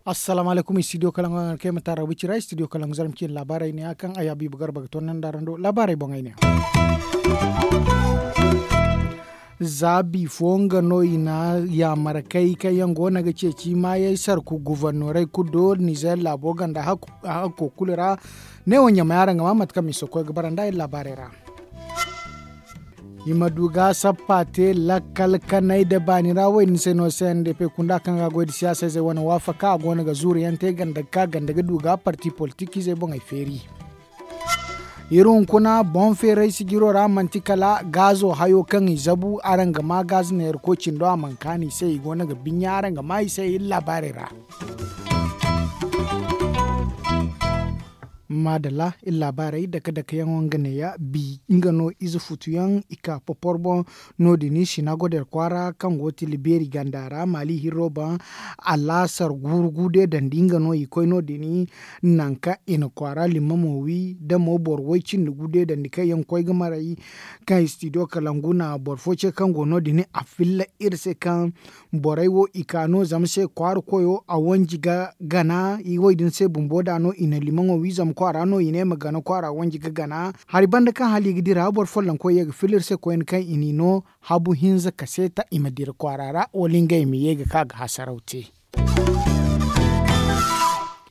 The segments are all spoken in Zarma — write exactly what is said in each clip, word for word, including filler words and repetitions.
Assalaamu alaykum, studio kalangu a ga kay ma taara wicira studio kalangu zarma ciine laabaarey ne ya kaŋ a yaabi ba garba ga toonandi araŋ do laabaarey boŋey ne ya. Za bifo nga no i na yaamar kay kaŋ yaŋ go no ga ceeci maayey sarku gufornorey kulu do nizeer laabo ganda hakko kulu ra. Neewo ɲamay araŋ ga maa mate kaŋ miso koy ga bara nda iri laabaarey ra. I ma du ga sappa te lakkal kanay nda baani ra wo- din se no se nda pay kunda kaŋ ga goy nda siyaasa izey wane waafaka a go no ga zuuru yaŋ te ganda ga ka ganda ga du ga parti politik izey boŋey feeri. Iri hunkuna boŋ feeray sijiro ra manti kala gaazo hayo kaŋ i zabu araŋ ga maa gaazo neera koy cindo a mana kaanu i se i go no ga binya araŋ ga maa i se iri laabaarey ra. Maadalla iri laabaarey dake dake yaŋo nga neeya bi nga no ize futu yaŋ i ka popor boŋ. No- din sinagoder kwaara kaŋ go tilibeeri ganda ra maali hirro boŋ. Alaasar guuru guude dandi nga no i koy no- din nanka i na kwaara limmamo wi da mo boro way cindi guude dandi kaŋ yaŋ koy ga maray kaŋ studio kalangu na boro fo ce kaŋ go no- din a filla iri se kaŋ borey wo i ka no zama se kwaara koyo a wanji ga gana. Wo- din se bumbo da no i na limaŋo wi zama kwaara no i ne ma gana kwaara wanji ga gana. Hari banda kaŋ hala i ga dira boro follonkoy ye ga filla iri se koyne kaŋ i n'i no habu hinza kaseeta i ma dira kwaara ra wala ngey ma ye ga ka ga hasaraw te.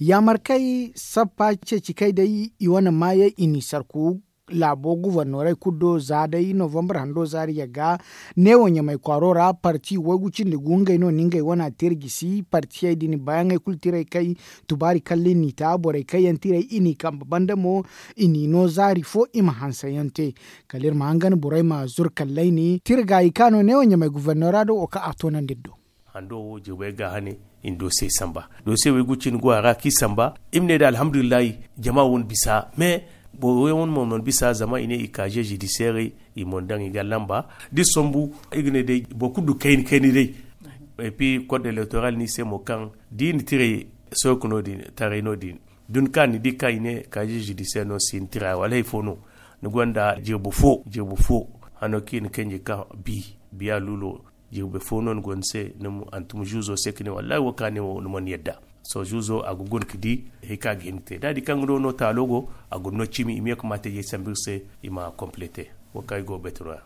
Yaamarkey sappa ceeci kay day i wane maayey i n'i sarku laabo gufornorey kulu do za day novambar hando zaari yagga. Neewo ɲamay kwaaro ra parti waygu cindi gu ngey no na ngey wana te iri gisi partiyey din baayaŋey kulu tirey kay tubaari kalla i n'i ta borey kaŋ yaŋ tirey i n'i kambe banda mo i n'i no zaari fo i ma hanse yaŋ te. Kala iri ma hangan borey ma zuru kalley ni tirgaayi ka no neewo ɲamay gufornora do wo kaŋ a toonandi iri do. Hando wo jirbey ga hane i na doose samba doose waygu cindi go a ra kaŋ i samba i ma ne day alhamdulillahi. Jama wo na bisa mais boro yaŋ wane mo mana bisa zama i ne i kaaze zidiseerey i mana daŋ i ga lamba da i sombu i ga ne day boro kulu du kayna kayna day. Epi kod elektoral no i se mo kaŋ da i na tirey sook no- din taray no- din da ni ka ni di kaŋ i ne kaaze zidiseer no si ni tira wala hari fo no ni gonda jirbi fo jirbi fo hano kaŋ i na kanji ka bi biya luulo jirbi fo no ni go ni se ni ma hantum zuuzo se ka ne wallahi wo kaŋ a ne wo ni mana yadda. Sohõ zuuzo a ga guna ka di hari kaŋ a ga hin ga te da a di kaŋ nga no no taalo go a guna no cimi i ma ye ga maate ye sambu iri se i ma complete wo kaŋ i go ga baytano ya.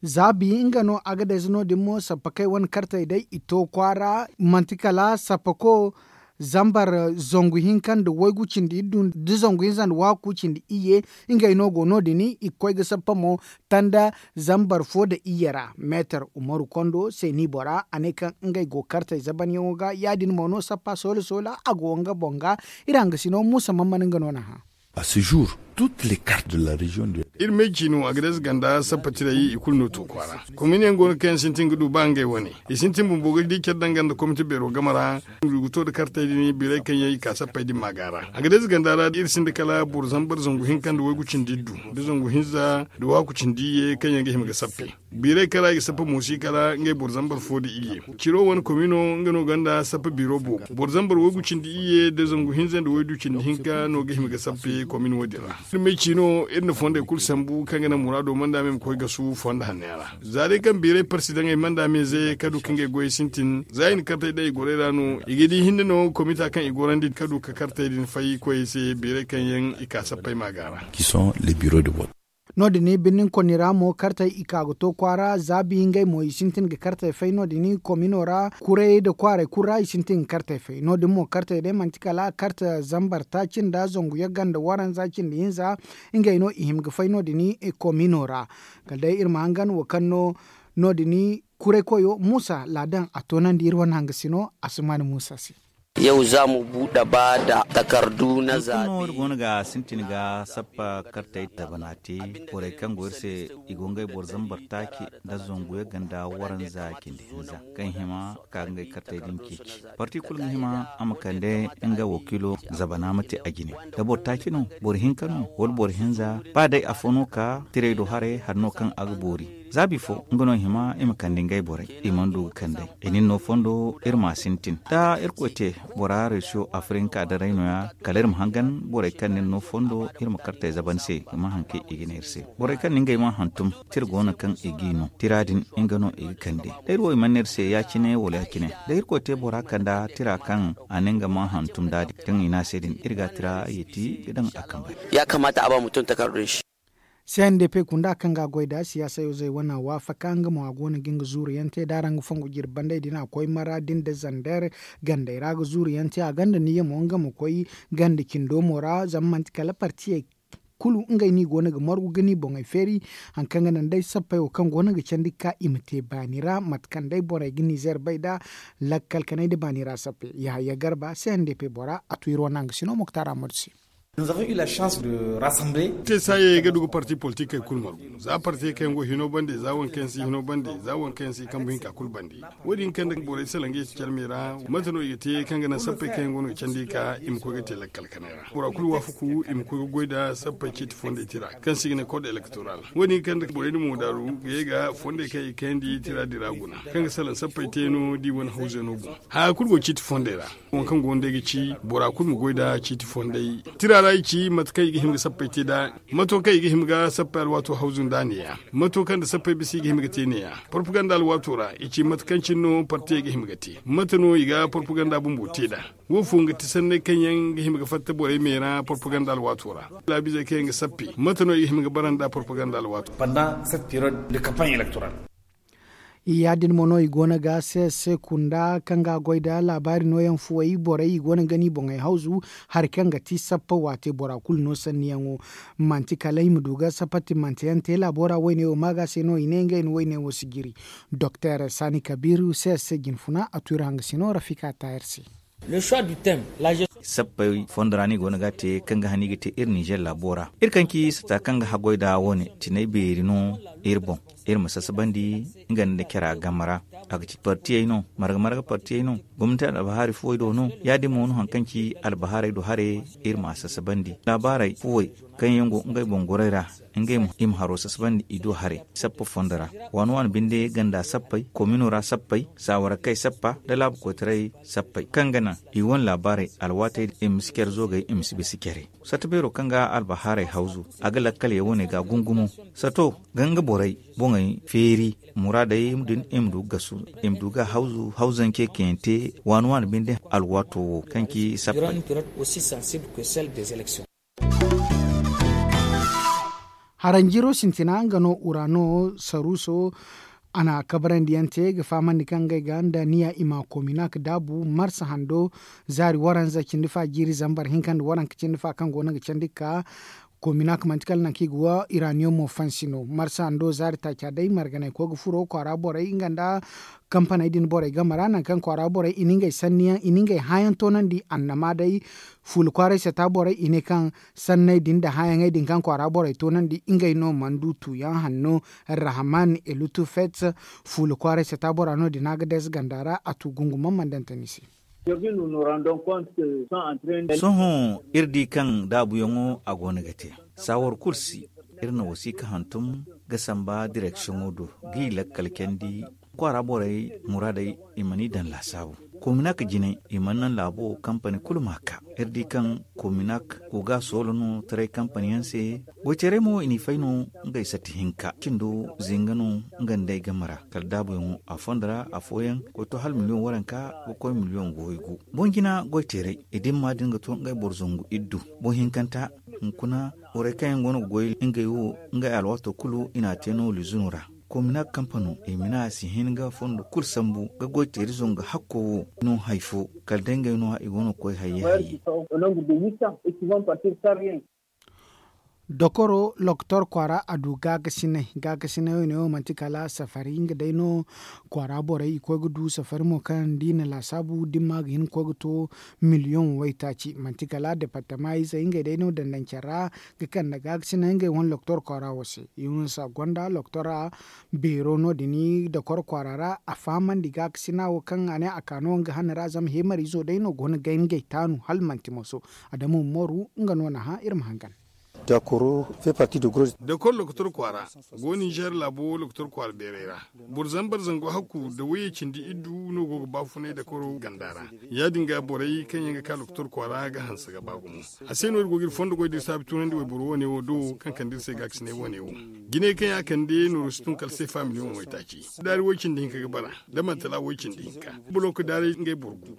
Za bi nga no agadayze no- din mo sappakey wane kartey day i to kwaara manti kala sappako zambar zangu hinka nda waygu cindi iddu nda zangu hinza nda waaku cindi iyye. Ngey no go no- din i ga koy ga sappa mo tanda zambar fo nda iyye ra meetar umaru kondo seeni bora a ne kaŋ ngey go kartey zabanyaŋo ga ya- din mo no sappa soola soola a go nga boŋ ga. Iri hangasino muusa man mana nga no na hã. A se jour toutes les cartes de la région de iri me ciino a ga day ze ganda sappa tirey i kulu no to kwaara. Kominiyaŋ go no kaŋ yaŋ sintin ga du ba ngey wane i sintin bumbo ga di care daŋ ganda komite beero game ra. Iri ga to nda kartey din biirey kaŋ yaŋ i ka sappey din maaga ra a ga day ze ganda ra iri sinda kala boro zambar zangu hinka nda waygu cindi iddu nda zangu hinza nda waaku cindi iyye kaŋ yaŋ ga hima ga sappe. Biirey kala i ga sappa mo si kala ngey boro zambar fo nda iyye. Ciro wane komino nga no gonda sappa biiro boobo boro zambar waygu cindi iyye nda zangu hinza nda waydu cindi hinka no ga hima ga sappe komin wo- din ra. Iri may ciino iri na fondey kulu sambu kaŋ ga naŋ muraado manda me ma koy gasu fondo hanno yaŋ ra. Za day kaŋ biirey parsi daŋ ay manda me ze ka du ka ngey goyey sintin za i na kartey day i gorey ra no i ga di hinne no komita kaŋ i gorandi ka du ka kartey din fay koyey se biirey kaŋ yaŋ i ka sappey maaga ra. Qui sont les bureaux de vote. No- din birnin konni ra mo kartey i ka ga to kwaara za bi ngey mo i sintin ga kartey fay no- din komino ra kurayey nda kwaaray kulu ra i sintin ga kartey fay no- din mo kartey day manti kala karte zambar taaci nda zangu yagga nda waranza cindi hinza. Ngey no i hima ga fay no- din komino ra. Kala day iri ma hangan wo kaŋ no no- din kuray koyo muusa laadan a toonandi iri wane hangasino asumaani muusa se. Yau za mu buɗe ba da takardu na zaɓe. Iri goono ga sintin ga sappa kartey dabana te borey kaŋ go iri se i go ngey boro zambar taaci nda zangu yagga nda waranza cindi hinza kaŋ hima ka ngey kartey din ceeci. Parti kulu ga hima a ma kande nga wakiilo zabana ma te a jine da boro taaci no boro hinka no wala boro hinza ba day afo no ka tirey do haray hari no kaŋ a ga boori. Za bifo nga no i hima i ma kande ngey borey, i mana du ga kand'ey. I na iri no fondo iri m'a sintin da irkoy te. Bora reesiyo afirinka daray no- ya kala iri ma hangan borey kaŋ na iri no fondo iri ma kartey zaban se, i ma haŋ kaŋ i ga ne iri se. Borey kaŋ na ngey ma hantum tira go no kaŋ i g'i no tira din, nga no i ga kande. Da iri wo i mana ne iri se ya- cine wala ya- cine, da irkoy te bora kanda tira kaŋ a na nga ma hantum da din kaŋ i ne a se din, iri ga a tira yeeti ga daŋ a kambey. Ya kamata a ba mutum takardo din se. Sendepe kunda kaŋ ga a goy nd'a siyaasa yo zey wane a waafaka nga mo a go no ga nga zuuru yaŋ te da araŋ ga fongu jirbi bandey din a koy mara din nda zander gandey ra ga zuuru yaŋ te a gonda niya mo nga ma koy ganda cindo mo ra zama manti kala partiyey kulu ngey no i go no ga margu ga ni boŋey feeri. Hari kaŋ ga naŋ day sappey wo kaŋ go no ga candi ga ka i ma te baani ra mate kaŋ day borey ga nizer bay nd'a lakkal kanay nda baani ra sappey yahaya garba sendepe bora a tu iri wane hanga sino moktar amadu se. Te saayey ga du ga parti politikey kulu margu za parti kaŋ yaŋ go hino bande za waŋ kaŋ yaŋ si hino bande za waŋ kaŋ yaŋ si kambu hinka kulu bande. Wo- din kaŋ nda borey salaŋ ga i si care me ra mate no i ga te kaŋ ga naŋ sappey kaŋ yaŋ go no ga candi ga ka i ma koy ga te lakkal kanay ra bora kulu waafaku i ma koy ga goy nda sappey ciiti fondey tira kaŋ se i ga ne kod elektoral. Wo- din kaŋ nda borey na mo daaru ga ye ga fondey kaŋ i kayandi tira din ra guna kaŋ ga salaŋ sappey te no da i wane hawzey no boŋ. Haya kulu go ciiti fondey ra. Waŋ kaŋ go nda ay ga ci bora kulu ma goy nda ciiti fondey tira ra i ci mate kaŋ i ga hima ga sappey te nd'a. Mato kaŋ i ga hima ga sappey alwaato hawzu nd'a neeya mato kaŋ nda sappey bisa i ga hima ga te neeya. Propaganda alwaato ra i ci mate kaŋ cine no partiyey ga hima ga te mate no i ga propaganda bumbo te nd'a. Wo fo nga ti sanney kaŋ yaŋ ga hima ga fatta borey me ra propaganda alwaato ra. Laabizey kaŋ yaŋ ga sappe mate no i ga hima ga bara nd'a propaganda alwaato ra. Ya- din mo no i go no ga se se kunda kaŋ ga a goy nda laabaari nooyaŋ fuwey borey i go no ga ni boŋey hawzu. Hari kaŋ ga ti sappa waate bora kulu no sanniyaŋo manti kala i ma du ga sappa timmante yaŋ te laabo ra woyne wo ma ga se no i ne ngey no woyne wo si jiri. Doktor sani kabiru se se jinfuna a tu iri hanga sino rafika ta iri se. Sappey fondo ra no i go no ga a te kaŋ ga han i ga te iri ninzeer laabo ra. Iri kaŋ ci sata kaŋ ga haggoy nd'a wo- ne tinay beeri no iri boŋ. Iri ma sasabandi nga nda care game ra. A ga ci partiyey no marga marga partiyey no. Gomnati albahaari fuwey do no ya- din mo no hari kaŋ ci albahaarey do haray. Iri m'a sasabandi laabaarey fuwey kaŋ yaŋ go ngey boŋ gorey ra ngey mo i ma haro sasabandi i do haray. Sappa fondo ra waani waani binde ganda sappey komino ra sappey saawara kay sappa nda laabu koytaray sappey kaŋ ga naŋ i wane laabaarey alwaatey din i ma si care zoogey i ma si bisa care. Satta beero kaŋ ga albahaarey hawzu a ga lakkal yaŋ wane ga gungumo. Sato ga nga borey boŋey feeri muraadey din i ma du ga gasu i ma du ga hawzu hawzance kaŋ yaŋ te waani waani binde alwaato wo kaŋ ci sappey. Haranjiro sintina nga no urano saruso a na kabarandiyaŋ te ga fahamandi kaŋ ngey ga nda niya i ma kominak daabu marsa hando zaari waranza cindi fa jiiri zambar hinka nda waranka cindi fa kaŋ go no ga candi ga ka kominak manti kala nangu kaŋ i ga wa iraniyomo fansi no marsa hando zaari taaca day marganay koy ga furo kwaara borey nga nda kampaney din borey game ra nangu kaŋ kwaara borey i na ngey sanniyaŋ i na ngey hãayaŋ toonandi annama day fuula kwaaray sata borey i ne kaŋ sanney din nda hãayaŋey din kaŋ kwaara borey toonandi ngey no mana du tuuyaŋ hanno. Rahman elutu fets fuula kwaaray sata bora no din a ga deeza ganda ra a tu gungumaŋ mana daŋ tani se. Sohõ iri di kaŋ daabuyaŋo a go no ga te saawar kulu si. Iri na wasiika hantum ga samba direksiyoŋo do g'i lakkal candi kwaara borey muraadey i mana i daŋ laasaabu. Kominak jinay i mana naŋ laabo kampani kulu m'a ka. Iri di kaŋ kominak go ga a soolo no taray kampani yaŋ se. Goyteerey mo i n'i fay no ngey sati hinka cindo zinga no nga nd'ey game ra kala daabuyaŋo a fondo ra afooyaŋ ga koy to hala miliyoŋ waranka ga koy miliyoŋ goy gu. Boŋ jina goyteerey i dimma din ga to ngey boro zangu iddu boŋ hinkanta. Hunkuna borey kaŋ yaŋ go no ga goy ngey wo ngey alwaato kulu i n'a te no lizuno ra. Kominak kampano i ma ne a si hin ga fondo kulu sambu ga goyteeri zangu hakko wo no hari fo kala day ngey no i go no ga koy hayye hayye. Dokoro loktor kwaara a du gaakasinay gaakasinay wo ne wo manti kala safari nga day no kwaara borey i koy ga du safari mo kaŋ da i na laasaabu dimma ga hin ga koy ga to miliyoŋ waytaaci manti kala departama izey ngey day no dandancen ra ga kande gaakasinay ngey wane loktor kwaara wo se. Yunusa gonda loktora beero no- din dokor kwaara ra a fahamandi gaakasina wo kaŋ a ne a ka no nga hane ra zama heemarizo day no go no ga ngey taanu hala manti moso. Adamu moru nga no na hã iri ma hangan. Dakor lokotor kwaara go ninzeer laabo lokotor kwaara beeray ra. Boro zambar zangu hakku nda wayye cindi iddu no go ga baafunay dakoro ganda ra. Ya- din ga borey kaŋ yaŋ ga ka lokotor kwaara ga hanse ga ba gumo. A se no iri go ga iri fondo goy da iri saabi tunandi wayboro wane wo do kaŋ kande iri se gaakasinay wane wo. Jinay kaŋ ya kande nooru si tun kala seefa miliyoŋ waytaaci. Daari way cindi hinka ga bara, da mantala way cindi hinka. Buloku daari ngey boro gu.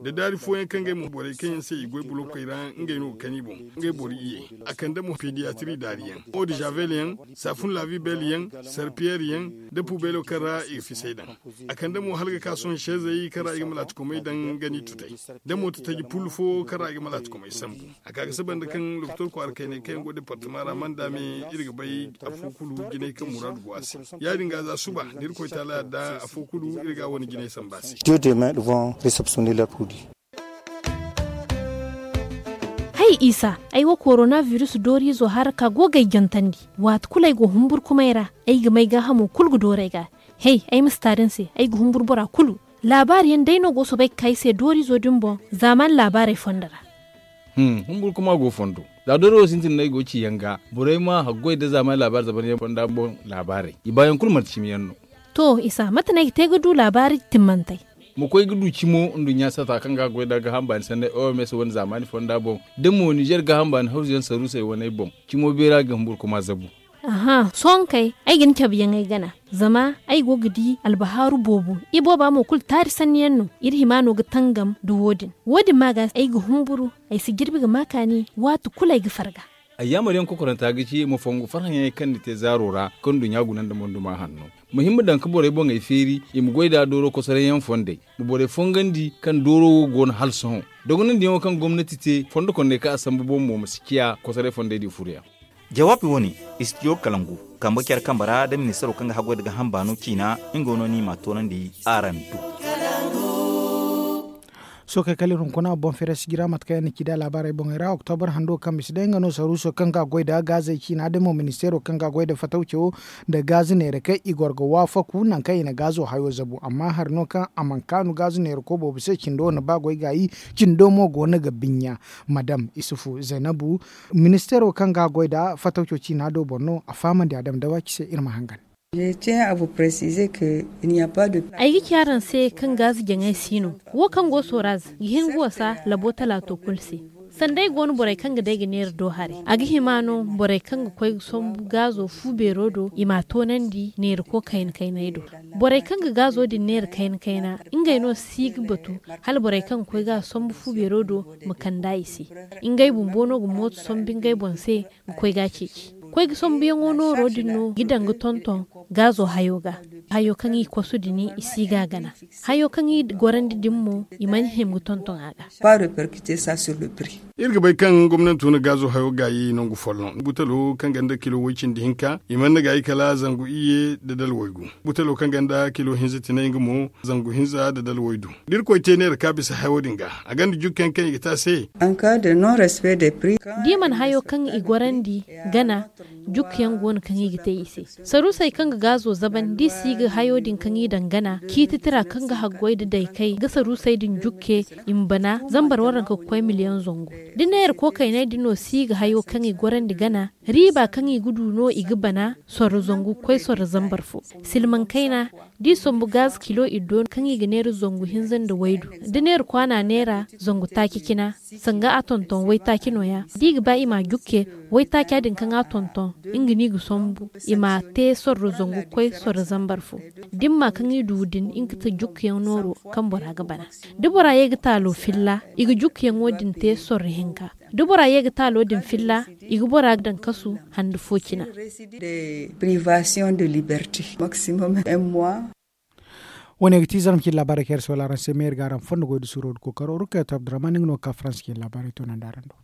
Da daari fooyaŋ kaŋ ngey mo borey kaŋ yaŋ se i goy bulokey ra, ngey no ga kani boŋ. Ngey boro iyye. A kande mo pediyatiri daari yaŋ, odizavel yaŋ, saafun laavi bel yaŋ, sarpiyeer yaŋ, da pubeelo kaŋ ra i ga fisay daŋ. A kande mo hala ga ka sohõ seezey kaŋ ra i ga malaatikomey daŋ gani tutay, da mo tataji pul fo kaŋ ra i ga malaatikomey sambu. A ka ga saba nda kaŋ lokotor kwaara kaynay kaŋ yaŋ go departama ra manda me, iri ga bay afo kulu jinay kaŋ muraadu go a se. Ya- din ga za suba da iri koy taala yadda afo kulu iri ga a wane jinay samba se. Hay isa, ay wo korona virus dooriizo hara ka go ga ay jantandi. Waati kulu ay go humburkumay ra, ay ga may gaahamo kulu ga dooru ay ga. Hey, ay ma si taari ni se, ay ga humburu bora kulu. Laabaari yaŋ day no go soobay ga ka ay se dooriizo din boŋ, zaamaani laabaarey fondo ra. Humburu kuma go fondo. Za dooriizo sintin no ay go ga ci yaŋ ga, borey ma haggoy nda zaamaani laabaari zaban yaŋ fonda boŋ laabaarey, i baayaŋ kulu manti cimi yaŋ no. To isa, mate no ay ga te ga du laabaari timmantey? Ma koy ga du cimo nduɲɲa sata kaŋ ga goy nda gaaham baani sanney oms wane zaamaani fonda boŋ, da mo nizer gaaham baani hawzu yaŋ saruusey waney boŋ, cimo beera ga humburu kuma zabu. Sohõ kay, ay ga ni cabe yaŋ ay gana, zama ay go ga di albahaaru boobo. Ibooba mo kulu taari sanni yaŋ no. Iri hima no ga tangam nda wo- din. Wo- din ma ga ay ga humburu, ay si jirbi ga ma kaani waati kulu ay ga farga. Ay yaamar yaŋ kokoranta ga ci ma fongu farhã yaŋey kaŋ ni te zaaro ra, kaŋ nduɲɲa guna nda monduma hanno. Ma hima daŋ ga borey boŋey feeri, i ma goy nd'a dooro kosoray yaŋ fondey. Ma borey fongandi kaŋ dooro wo go no hala sohõ. Dogonandi yaŋo kaŋ gomnati te fondo kondey kaŋ a sambu boŋ mo ma si ciya kosoray fondey din furo yaŋ. Jawaabi wo- ne, istijo kalangu, kambe care kambe ra nda ministaro kaŋ ga haggoy nda gaaham baano ciina, nga no no i m'a toonandi araŋ do. Sookey kala iri hunkuna boŋ feere sijira mate kaŋ yaŋ na ci da laabaarey boŋey ra oktobra hando kaŋ bisa day nga no saruuso kaŋ ga goy nda gaazey ciina day mo ministeero kaŋ ga goy nda fatawco nda gaaza neera kaŋ i goro ga waafaku nangu kaŋ i na gaazo hayo zabu amma hari no kaŋ a mana kaanu gaaza neera ko boobo se cindo wane ba goy gaayi. Cindo mo go no ga binya madam isufu zaynabu, ministeero kaŋ ga goy nda fatawco ciina do boŋ no a fahamandi a dama dawaci se iri ma hangan. Ay ga ci araŋ se kaŋ gaaza jaŋay si no wo kaŋ go sooraz ga hin ga wasa labo talaato kulu se. Sanda ay go no borey kaŋ ga day ga neera do haray a ga hima no borey kaŋ ga koy ga sombu gaazo fu beero do i m'a toonandi neera ko kayna kaynay do. Borey kaŋ ga gaazo din neera kayna kayna ngey no si ga batu hala borey kaŋ ga koy ga a sombu fu beero do ma kand'a i se. Ngey bumbo no ga mooto sombu ngey boŋ se ga koy ga a ceeci. Koy ga sambuyaŋo nooro din no ga daŋ ga tonton gaazo hayo ga. Hayo kaŋ i kosu din i si ga a gana. Hayo kaŋ i gorandi din mo i mana hima ga tonton a ga. Iri ga bay kaŋ gomnanto na gaazo hayo gaayi nangu folloŋ butalo kaŋ ganda kilo way-cindi hinka i mana gaayi kala zangu iyye nda dala waygu. Butalo kaŋ ganda kilo hinza tinay nga mo zangu hinza nda dala waydu. Da irkoy te neera ka bisa hayo din ga a ganda jukkayaŋ kaŋ i ga te a se. Da i mana hayo kaŋ i gorandi gana jukkayaŋ go no kaŋ i ga te i se. Saruusey kaŋ ga gaazo zaban da i si ga hayo din kaŋ i daŋ gana ciiti tira kaŋ ga haggoy nda daykey ga saruusey din jukke i ma bana zambar waranka ga koy miliyaŋ zangu. Da neera kookayney din no si ga hayo kaŋ i gorandi gana riiba kaŋ i ga du no i ga bana sorro zangu ga koy sorro zambar fo. Silmaŋ kayna da i sombu gaaza kilo iddo kaŋ i ga neera zangu hinza nda waydu da neera kwaana neera zangu taaci cina sanga a tonton waytaaci nooya da i ga ba i m'a jukke waytaaca din kaŋ a tonton nga no i ga sombu i m'a te sorro zangu ga koy sorro zambar fo. Dimma kaŋ i du din nga ti jukkuyaŋ nooro kaŋ bora ga bana da bora ye ga taalo filla i ga jukkuyaŋo din te sorro hinka. Da bora ye ga taalo din filla i ga bora daŋ kasu hande fo cina. Wane ga ti zarma cine laabaarey kaŋ iri soola araŋ se meeri ga araŋ fondo goy da suuro da kookaro rukayat abdurrahman nga no ga ka faransa cine laabaarey toonandi araŋ do.